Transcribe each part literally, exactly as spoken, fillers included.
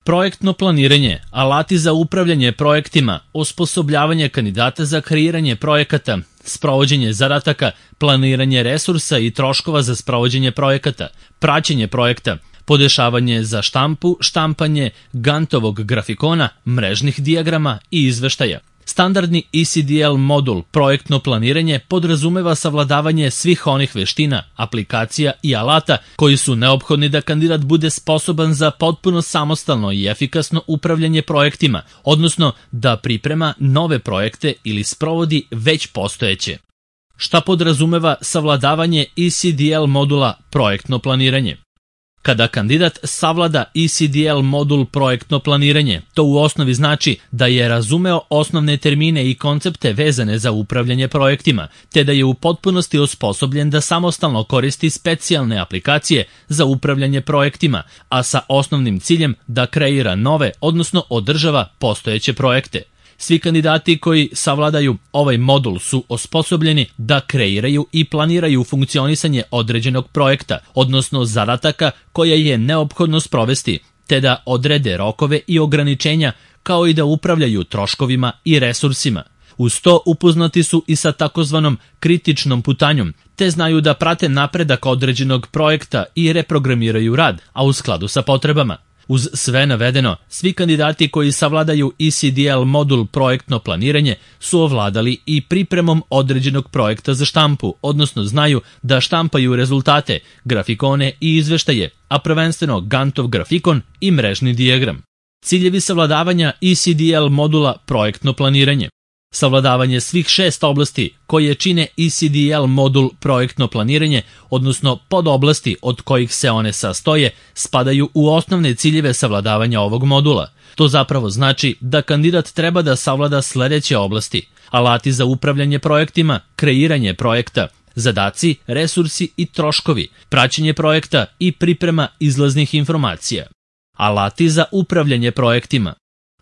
Projektno planiranje, alati za upravljanje projektima, osposobljavanje kandidata za kreiranje projekata, sprovođenje zadataka, planiranje resursa i troškova za sprovođenje projekata, praćenje projekta, podešavanje za štampu, štampanje Gantovog grafikona, mrežnih dijagrama i izveštaja. Standardni E C D L modul projektno planiranje podrazumeva savladavanje svih onih veština, aplikacija i alata koji su neophodni da kandidat bude sposoban za potpuno samostalno i efikasno upravljanje projektima, odnosno da priprema nove projekte ili sprovodi već postojeće. Šta podrazumeva savladavanje E C D L modula projektno planiranje? Kada kandidat savlada E C D L modul projektno planiranje, to u osnovi znači da je razumeo osnovne termine i koncepte vezane za upravljanje projektima, te da je u potpunosti osposobljen da samostalno koristi specijalne aplikacije za upravljanje projektima, a sa osnovnim ciljem da kreira nove, odnosno održava postojeće projekte. Svi kandidati koji savladaju ovaj modul su osposobljeni da kreiraju i planiraju funkcionisanje određenog projekta, odnosno zadataka koje je neophodno sprovesti, te da odrede rokove i ograničenja, kao i da upravljaju troškovima i resursima. Uz to upoznati su i sa takozvanom kritičnom putanjom, te znaju da prate napredak određenog projekta i reprogramiraju rad, a u skladu sa potrebama. Uz sve navedeno, svi kandidati koji savladaju E C D L modul projektno planiranje su ovladali i pripremom određenog projekta za štampu, odnosno znaju da štampaju rezultate, grafikone i izveštaje, a prvenstveno Gantov grafikon i mrežni dijagram. Ciljevi savladavanja E C D L modula projektno planiranje. Savladavanje svih šest oblasti koje čine E C D L modul projektno planiranje, odnosno podoblasti od kojih se one sastoje, spadaju u osnovne ciljeve savladavanja ovog modula. To zapravo znači da kandidat treba da savlada sledeće oblasti: alati za upravljanje projektima, kreiranje projekta, zadaci, resursi i troškovi, praćenje projekta i priprema izlaznih informacija. Alati za upravljanje projektima.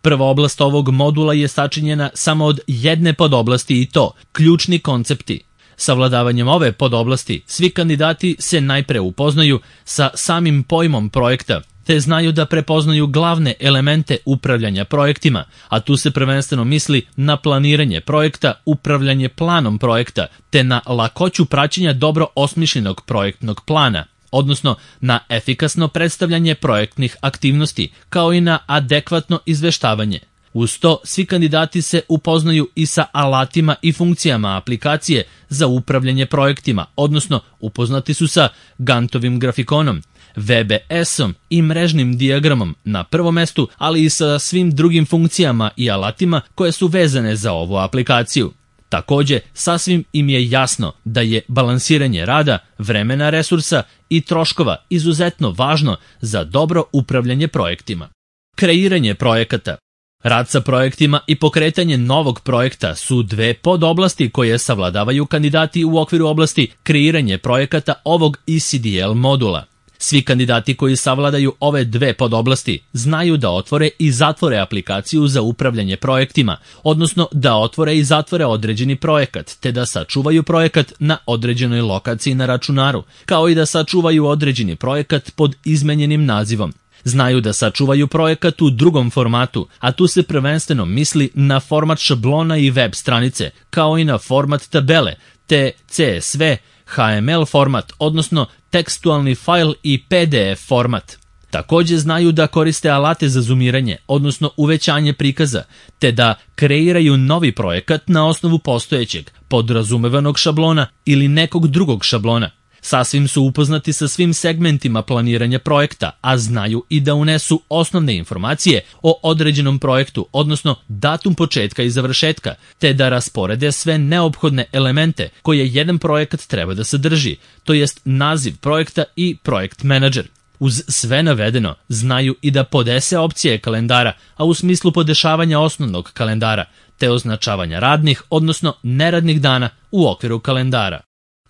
Prva oblast ovog modula je sačinjena samo od jedne podoblasti i to ključni koncepti. Savladavanjem ove podoblasti svi kandidati se najpre upoznaju sa samim pojmom projekta, te znaju da prepoznaju glavne elemente upravljanja projektima, a tu se prvenstveno misli na planiranje projekta, upravljanje planom projekta, te na lakoću praćenja dobro osmišljenog projektnog plana, odnosno na efikasno predstavljanje projektnih aktivnosti, kao i na adekvatno izveštavanje. Uz to, svi kandidati se upoznaju i sa alatima i funkcijama aplikacije za upravljanje projektima, odnosno upoznati su sa Gantovim grafikonom, V B S-om i mrežnim dijagramom na prvom mestu, ali i sa svim drugim funkcijama i alatima koje su vezane za ovu aplikaciju. Takođe, sasvim im je jasno da je balansiranje rada, vremena, resursa i troškova izuzetno važno za dobro upravljanje projektima. Kreiranje projekata. Rad sa projektima i pokretanje novog projekta su dve podoblasti koje savladavaju kandidati u okviru oblasti kreiranje projekata ovog E C D L modula. Svi kandidati koji savladaju ove dve podoblasti znaju da otvore i zatvore aplikaciju za upravljanje projektima, odnosno da otvore i zatvore određeni projekat, te da sačuvaju projekat na određenoj lokaciji na računaru, kao i da sačuvaju određeni projekat pod izmenjenim nazivom. Znaju da sačuvaju projekat u drugom formatu, a tu se prvenstveno misli na format šablona i web stranice, kao i na format tabele, te C S V, H M L format, odnosno tekstualni fajl i P D F format. Takođe znaju da koriste alate za zoomiranje, odnosno uvećanje prikaza, te da kreiraju novi projekat na osnovu postojećeg, podrazumevanog šablona ili nekog drugog šablona. Sasvim su upoznati sa svim segmentima planiranja projekta, a znaju i da unesu osnovne informacije o određenom projektu, odnosno datum početka i završetka, te da rasporede sve neophodne elemente koje jedan projekat treba da sadrži, to jest naziv projekta i projekt menadžer. Uz sve navedeno, znaju i da podese opcije kalendara, a u smislu podešavanja osnovnog kalendara, te označavanja radnih, odnosno neradnih dana u okviru kalendara.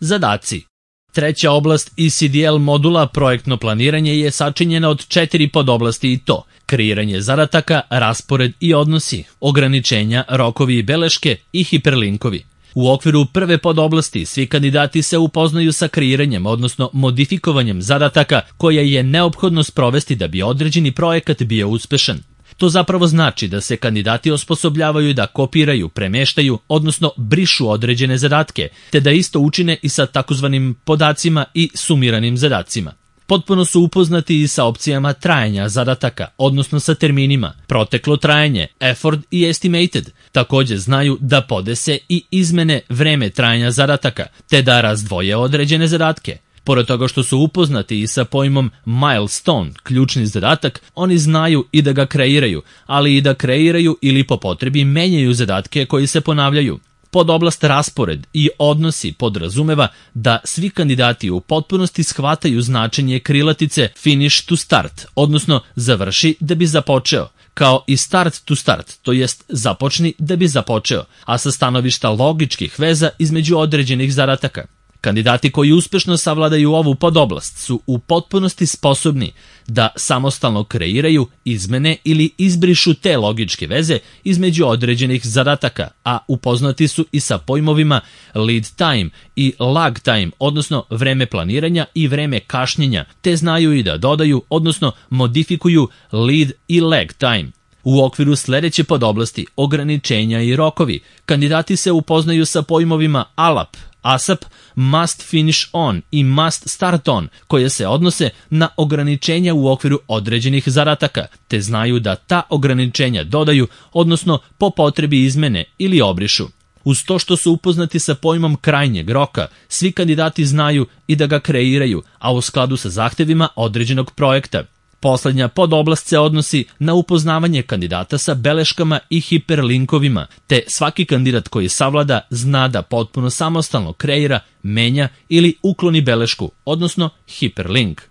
Zadaci. Treća oblast E C D L modula projektno planiranje je sačinjena od četiri podoblasti i to: kreiranje zadataka, raspored i odnosi, ograničenja, rokovi i beleške i hiperlinkovi. U okviru prve podoblasti svi kandidati se upoznaju sa kreiranjem, odnosno modifikovanjem zadataka koje je neophodno sprovesti da bi određeni projekat bio uspešan. To zapravo znači da se kandidati osposobljavaju da kopiraju, premeštaju, odnosno brišu određene zadatke, te da isto učine i sa takozvanim podacima i sumiranim zadacima. Potpuno su upoznati i sa opcijama trajanja zadataka, odnosno sa terminima proteklo trajanje, effort i estimated. Takođe znaju da podese i izmene vreme trajanja zadataka, te da razdvoje određene zadatke. Pored toga što su upoznati i sa pojmom milestone, ključni zadatak, oni znaju i da ga kreiraju, ali i da kreiraju ili po potrebi menjaju zadatke koji se ponavljaju. Podoblast raspored i odnosi podrazumeva da svi kandidati u potpunosti shvataju značenje krilatice finish to start, odnosno završi da bi započeo, kao i start to start, to jest započni da bi započeo, a sa stanovišta logičkih veza između određenih zadataka. Kandidati koji uspešno savladaju ovu podoblast su u potpunosti sposobni da samostalno kreiraju, izmene ili izbrišu te logičke veze između određenih zadataka, a upoznati su i sa pojmovima lead time i lag time, odnosno vreme planiranja i vreme kašnjenja, te znaju i da dodaju, odnosno modifikuju lead i lag time. U okviru sledeće podoblasti ograničenja i rokovi, kandidati se upoznaju sa pojmovima A L A P, A S A P, must finish on i must start on, koje se odnose na ograničenja u okviru određenih zadataka, te znaju da ta ograničenja dodaju, odnosno po potrebi izmene ili obrišu. Uz to što su upoznati sa pojmom krajnjeg roka, svi kandidati znaju i da ga kreiraju, a u skladu sa zahtevima određenog projekta. Poslednja podoblast se odnosi na upoznavanje kandidata sa beleškama i hiperlinkovima, te svaki kandidat koji savlada zna da potpuno samostalno kreira, menja ili ukloni belešku, odnosno hiperlink.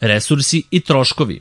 Resursi i troškovi.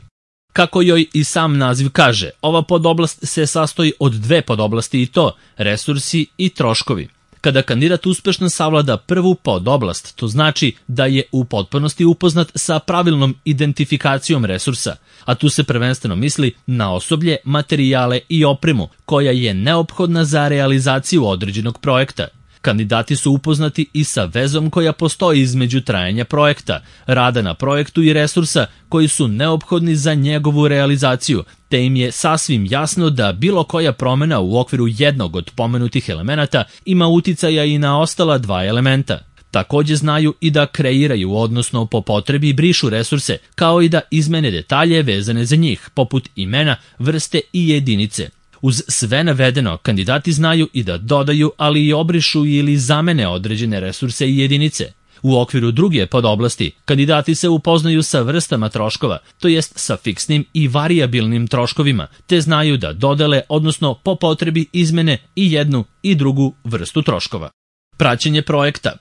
Kako joj i sam naziv kaže, ova podoblast se sastoji od dve podoblasti i to resursi i troškovi. Kada kandidat uspešno savlada prvu podoblast, to znači da je u potpunosti upoznat sa pravilnom identifikacijom resursa, a tu se prvenstveno misli na osoblje, materijale i opremu koja je neophodna za realizaciju određenog projekta. Kandidati su upoznati i sa vezom koja postoji između trajanja projekta, rada na projektu i resursa koji su neophodni za njegovu realizaciju, te im je sasvim jasno da bilo koja promena u okviru jednog od pomenutih elemenata ima uticaja i na ostala dva elementa. Takođe znaju i da kreiraju, odnosno po potrebi brišu resurse, kao i da izmene detalje vezane za njih, poput imena, vrste i jedinice. Uz sve navedeno, kandidati znaju i da dodaju, ali i obrišu ili zamene određene resurse i jedinice. U okviru druge podoblasti, kandidati se upoznaju sa vrstama troškova, to jest sa fiksnim i varijabilnim troškovima, te znaju da dodele, odnosno po potrebi izmene i jednu i drugu vrstu troškova. Praćenje projekta.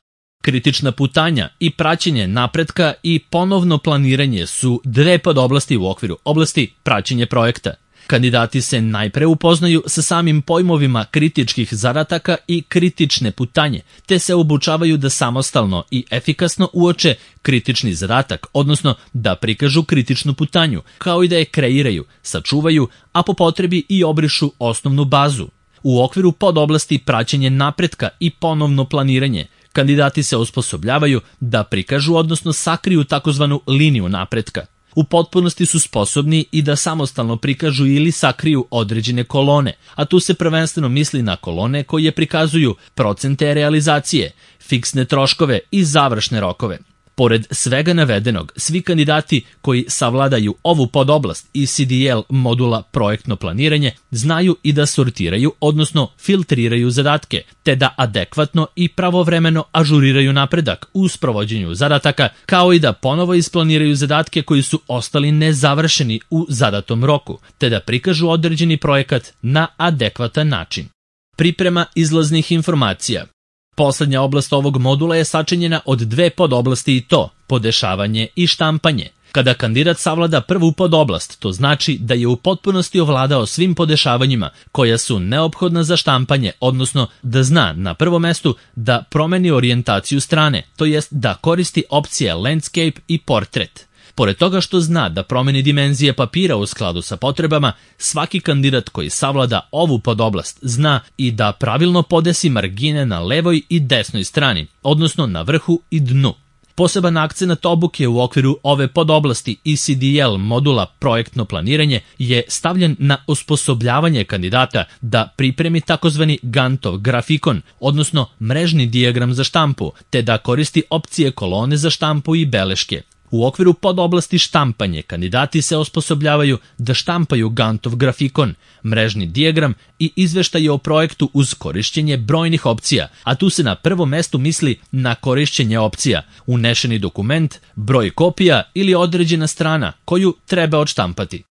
Kritična putanja i praćenje napretka i ponovno planiranje su dve podoblasti u okviru oblasti praćenje projekta. Kandidati se najpre upoznaju sa samim pojmovima kritičkih zadataka i kritične putanje, te se obučavaju da samostalno i efikasno uoče kritični zadatak, odnosno da prikažu kritičnu putanju, kao i da je kreiraju, sačuvaju, a po potrebi i obrišu osnovnu bazu. U okviru podoblasti praćenje napretka i ponovno planiranje, kandidati se osposobljavaju da prikažu, odnosno sakriju takozvanu liniju napretka. U potpunosti su sposobni i da samostalno prikažu ili sakriju određene kolone, a tu se prvenstveno misli na kolone koje prikazuju procente realizacije, fiksne troškove i završne rokove. Pored svega navedenog, svi kandidati koji savladaju ovu podoblast i C D L modula projektno planiranje znaju i da sortiraju, odnosno filtriraju zadatke, te da adekvatno i pravovremeno ažuriraju napredak u sprovođenju zadataka, kao i da ponovo isplaniraju zadatke koji su ostali nezavršeni u zadatom roku, te da prikažu određeni projekat na adekvatan način. Priprema izlaznih informacija. Poslednja oblast ovog modula je sačinjena od dve podoblasti i to, podešavanje i štampanje. Kada kandidat savlada prvu podoblast, to znači da je u potpunosti ovladao svim podešavanjima koja su neophodna za štampanje, odnosno da zna na prvom mestu da promeni orijentaciju strane, to jest da koristi opcije landscape i portrait. Pored toga što zna da promeni dimenzije papira u skladu sa potrebama, svaki kandidat koji savlada ovu podoblast zna i da pravilno podesi margine na levoj i desnoj strani, odnosno na vrhu i dnu. Poseban akcenat obuke u okviru ove podoblasti E C D L modula projektno planiranje je stavljen na osposobljavanje kandidata da pripremi takozvani Gantov grafikon, odnosno mrežni dijagram za štampu, te da koristi opcije kolone za štampu i beleške. U okviru podoblasti štampanje kandidati se osposobljavaju da štampaju Gantov grafikon, mrežni dijagram i izveštaje o projektu uz korišćenje brojnih opcija, a tu se na prvom mestu misli na korišćenje opcija, unešeni dokument, broj kopija ili određena strana koju treba odštampati.